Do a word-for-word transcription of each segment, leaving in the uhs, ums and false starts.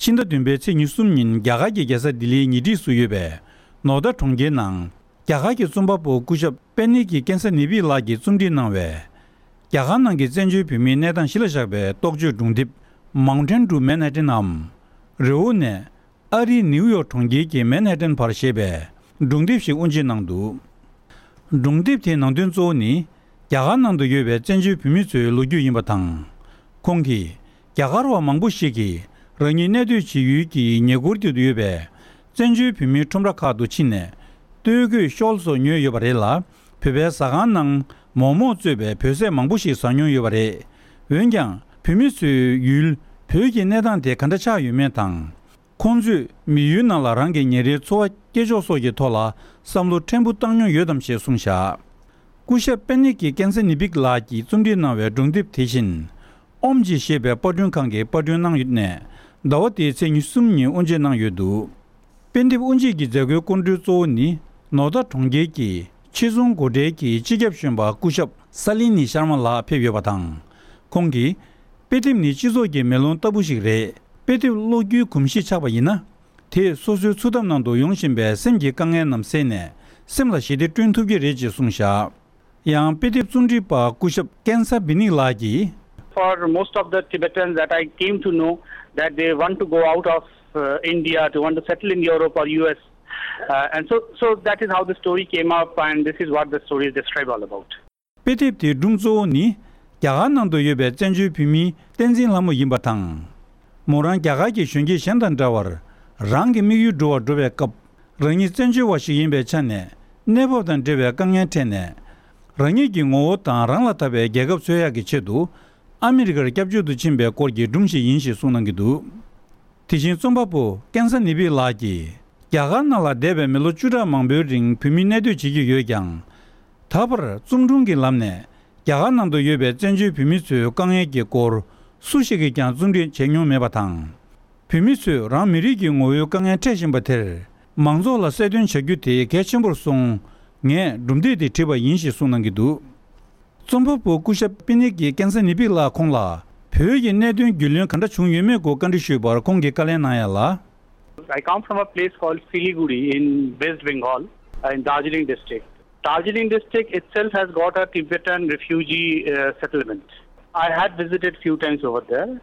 ཕྱི་ཟླ་བདུན་པའི་ཚེས་ཉི་ཤུ་གསུམ་ཉིན་རྒྱ་གར་གྱི་རྒྱལ་ས་ལྡི་ལིའི་ཉེ་འཁྲིས་སུ་ཡོད་པའི་ནོ་ད་གྲོང་ཁྱེར་ནང་། རྒྱ་གར་གྱི་རྩོམ་པ་པོ་སྐུ་ཞབས་པེ་ནིག་གི་ཀན་ས་ནི་བིག་ལགས་ཀྱིས་རྩོམ་སྒྲིག་གནང་བའི། རྒྱ་གར་ནང་གི་བཙན་བྱོལ་བོད་མིའི་གནས་སྟངས་གཞི་ལ་བཞག་པའི་རྟོག་བརྗོད་སྒྲུང་དེབ། Mountain to Manhattan འམ། རི་བོ་ནས་ཨ་རིའི་ནིའུ་ཡོག་གྲོང་ཁྱེར་གྱི་མན་ཧ་ཏན་བར་ཞེས་པའི་སྒྲུང་དེབ་ཞིག་དབུ་འབྱེད་གནང་འདུག་སྒྲུང་དེབ་དེའི་ནང་དོན་གཙོ་བོ་ནི། རྒྱ་གར་ནང་དུ་ཡོད་པའི་བཙན་བྱོལ་བོད་མི་ཚོའི་ལོ་རྒྱུས་ཡིན་པ་དང་། ཁོང་གིས། རྒྱ་གར་བ་མང་པོ་ཞིག་གིས་རང་ཉིད་གནས་སྡོད་བྱེད་ཡུལ་གྱི་ཉེ་འཁོར་དུ་ཡོད་པའི་བཙན་བྱོལ་བོད་མིའི་ཁྲོམ་ར་ཁག་ཏུ་ཕྱིན་ནས། སྟོད་གོས་ཤོལ་སོགས་ཉོས་ཡོད་པ་རེད་ལ། བོད་པའི་ཟ་ཁང་ནང་མོག་མོག་གཙོས་པའི་བོད་ཟས་མང་པོ་ཞིག་ཟ་མྱོང་ཡོད་པ་རེད། འོན་ཀྱང་། བོད་མི་ཚོའི་ཡུལ་བོད་ཀྱི་གནས་སྟངས་དེ་ག་འདྲ་ཆགས་ཡོད་མེད་དང་། ཁོང་ཚོས་མི་ཡུལ་ནང་ལ་རང་གི་ཉིན་རེའི་འཚོ་བ་སྐྱེལ་ཕྱོགས་སོགས་ཀྱི་ཐོག་ལ་བསམ་བློ་ཕྲན་བུ་བཏང་མྱོང་ཡོད་དམ་ཞེས་གསུངས་བཞག་སྐུ་ཞབས་པེ་ནིག་གི་ཀན་ས་ནི་བིག་ལགས་ཀྱིས་རྩོམ་སྒྲིག་གནང་བའི་སྒྲུང་དེབ་དེ་བཞིན། ཨོམ་ཇི་ཞེས་པའི་པར་སྐྲུན་ཁང་གིས་པར་སྐྲུན་གནང་ཡོད་ནས། ཟླ་བ་འདིའི་ཚེས་ཉི་ཤུ་གསུམ་ཉིན་དབུ་འབྱེད་གནང་ཡོད་འདུག་དཔེ་དེབ་དབུ་འབྱེད་ཀྱི་མཛད་སྒོའི་སྐུ་མགྲོན་གཙོ་བོ་ནི། ནོ་ད་གྲོང་ཁྱེར་གྱི་ཆེད་རྫོང་སྒོ་ཁྲལ་གྱི་སྤྱི་ཁྱབ་གཞོན་པ་སྐུ་ཞབས་ས་ལི་ནི་ཤར་མ་ལགས་ཕེབས་ཡོད་པ་དང་། ཁོང་གིས། དཔེ་དེབ་ནི་སྤྱི་ཚོགས་ཀྱི་མེ་ལོང་ལྟ་བུ་ཞིག་རེད། དཔེ་དེབ་ཀློག་རྒྱུའི་གོམས་གཤིས་ཆགས་པ་ཡིན་ན། དེས་སོ་སོའི་འཚོ་ཐབས་ནང་དུ་ཡོང་བཞིན་པའི་སེམས་ཀྱི་དཀའ་ངལ་རྣམས་སེལ་ནས། སེམས་ལ་ཞི་བདེ་བསྐྲུན་ཐུབ་ཀྱི་རེད་ཅེས་གསུངས་བཞག་ཡང་དཔེ་དེབ་རྩོམ་སྒྲིག་པ་སྐུ་ཞབས་ཀན་ས་བི་ནིག་ལགས་ཀྱིས། For most of the Tibetans that I came to know that they want to go out of uh, India to want to settle in Europe or U S. Uh, and so, so that is how the story came up, and this is what the story is described all about. དཔེ་དེབ་དེའི་སྒྲུང་གཙོ་བོ་ནི། རྒྱ་གར་ནང་དུ་ཡོད་པའི་བཙན་བྱོལ་བོད་མིའི་བསྟན་འཛིན་ལྷ་མོ་ཡིན་པ་དང་། མོ་རང་རྒྱ་གར་གྱི་གཞོན་སྐྱེས་གཞན་དང་འདྲ་བར། རང་གི་དམིགས་ཡུལ་འགྲུབ་པར་འགྲོ་བའི་སྐབས། རང་ཉིད་བཙན་བྱོལ་བ་ཞིག་ཡིན་པའི་ཆ་ནས། གནས་བབ་དང་འབྲེལ་བའི་དཀའ་ངལ་འཕྲད་ནས། རང་ཉིད་ཀྱི་ངོ་བོ་དང་རང་ལ་ཐབས་པའི་རྒྱལ་ཁབ་འཚོལ་ཡག་གི་ཆེད་དུ། ཨ་མི་རི་ཀར་སྐྱབས་བཅོལ་དུ་ཕྱིན་པའི་སྐོར་གྱི་སྒྲུང་ཞིག་ཡིན་ཞེས་གསུངས་གནང་གི་འདུག་དེ་བཞིན་རྩོམ་པ་པོ་ཀན་ས་ནི་བི་ལགས་ཀྱིས། རྒྱ་གར་ནང་ལ་འདས་པའི་མི་ལོ་བཅུ་ཕྲག་མང་པོའི་རིང་བོད་མི་གནས་སྡོད་བྱེད་ཀྱི་ཡོད་ཀྱང་། ད་བར་རྩོམ་སྒྲུང་གི་ལམ་ནས་རྒྱ་གར་ནང་དུ་ཡོད་པའི་བཙན་བྱོལ་བོད་མི་ཚོའི་དཀའ་ངལ་གྱི་སྐོར་སུ་ཞིག་གིས་ཀྱང་རྩོམ་སྒྲིག་བྱས་མྱོང་མེད་པ་དང་། བོད་མི་ཚོས་རང་མི་རིགས་ཀྱི་ངོ་བོའི་དཀའ་ངལ་འཕྲད་བཞིན་པ་དེར་མང་ཚོགས་ལ་གསལ་སྟོན་བྱ་རྒྱུ་དེ་གལ་ཆེན་པོར་སོང་། ངས་སྒྲུང་དེབ་དེ་བྲིས་པ་ཡིན་ཞེས་གསུངས་གནང་གི་འདུག་རྩོམ་པ་པོ་སྐུ་ཞབས་པི་ནིག་གིས་ཀན་ས་ནི་བིག་ལགས་ཁོང་ལ་བོད་ཀྱི་གནད་དོན་རྒྱུས་ལོན་ག་འདྲ་བྱུང་ཡོད་མེད་སྐོར་བཀའ་འདྲི་ཞུས་པར་ཁོང་གིས་བཀའ་ལན་གནང་ཡ་ལ། I come from a place called Siliguri in West Bengal, uh, in Darjeeling district. Darjeeling district itself has got a Tibetan refugee uh, settlement. I had visited few times over there.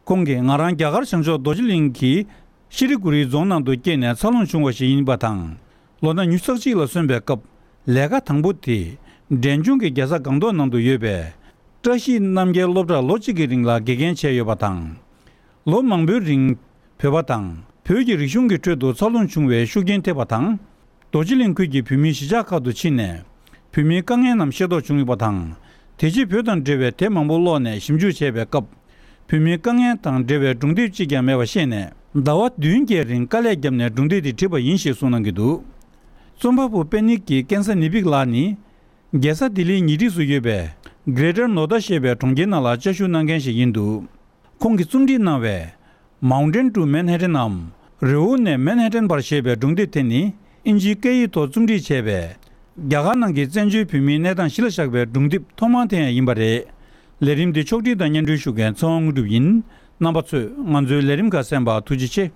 ཁོང་གིས་ང་རང་རྒྱ་གར་བྱང་ཕྱོགས་རྡོ་རྗེ་གླིང་གི་ཤི་རི་གུ་རི་རྫོང་ནང་དུ་སྐྱེས་ནས་འཚར་ལོངས་བྱུང་བ་ཞིག་ཡིན་པ་དང་། ལོ་ན་ཉི་ཤུ་རྩ་གཅིག་ལ་སོན་པའི་སྐབས་ལས་ཀ་དང་པོ་དེ་འབྲས་ལྗོངས་ཀྱི་རྒྱལ་ས་སྒང་ཏོག་ནང་དུ་ཡོད་པའི་བཀྲ་ཤིས་རྣམ་རྒྱལ་སློབ་གྲྭར་ལོ་གཅིག་གི་རིང་ལ་དགེ་རྒན་བྱས་ཡོད་པ་དང་། ལོ་མང་པོའི་རིང་བོད་པ་དང་བོད་ཀྱི་རིག་གཞུང་གི་ཁྲོད་དུ་འཚར་ལོངས་བྱུང་བའི་ཤུགས་རྐྱེན་ཐེབས་པ་དང་། རྡོ་རྗེ་གླིང་ཁུལ་གྱི་བོད་མིའི་གཞིས་ཆགས་ཁག་ཏུ་ཕྱིན་ནས་བོད་མིའི་དཀའ་ངལ་རྣམས་ཤེས་རྟོགས་བྱུང་ཡོད་པ་དང་། དེ་རྗེས་བོད་དང་འབྲེལ་བའི་དེབ་མང་པོ་ཀློག་ནས་ཞིབ་འཇུག་བྱས་པའི་སྐབས། བོད་མིའི་དཀའ་ངལ་དང་འབྲེལ་བའི་སྒྲུང་དེབ་གཅིག་ཀྱང་མེད་པ་ཤེས་ནས་ཟླ་བ་བདུན་བརྒྱད་རིང་དཀའ་ལས་བརྒྱབ་ནས་སྒྲུང་དེབ་དེ་བྲིས་པ་ཡིན་ཞེས་གསུངས་གནང་གི་འདུག་རྩོམ་པ་པོ་པེ་ནིག་གི་ཀན་ས་ནི་བིག་ལགས་ནི། རྒྱལ་ས་ལྡི་ལིའི་ཉེ་འཁྲིས་སུ་ཡོད་པའི་Greater Noida ཞེས་པའི་གྲོང་ཁྱེར་ནང་ལ་བཅའ་བཞུགས་གནང་མཁན་ཞིག་ཡིན་འདུག་ཁོང་གིས་རྩོམ་སྒྲིག་གནང་བའི་Mountain to Manhattan ནམ། རི་བོ་ནས་མན་ཧ་ཏན་བར་ཞེས་པའི་སྒྲུང་དེབ་དེ་ནི། ཨིན་ཇིའི་སྐད་ཡིག་ཐོག་རྩོམ་སྒྲིག་བྱས་པའི། རྒྱ་གར་ནང་གི་བཙན་བྱོལ་བོད་མིའི་གནས་སྟངས་གཞི་ལ་བཞག་པའི་སྒྲུང་དེབ་ཐོག་མ་དེ་ཡང་ཡིན་པ་རེད། ལས་རིམ་འདི་ཕྱོགས་སྒྲིག་དང་སྙན་སྒྲོན་ཞུ་མཁན་ཚེ་དབང་དངོས་གྲུབ་ཡིན། རྣམ་པ་ཚོས་ང་ཚོའི་ལས་རིམ་ཁག་གསན་པར་ཐུགས་རྗེ་ཆེ།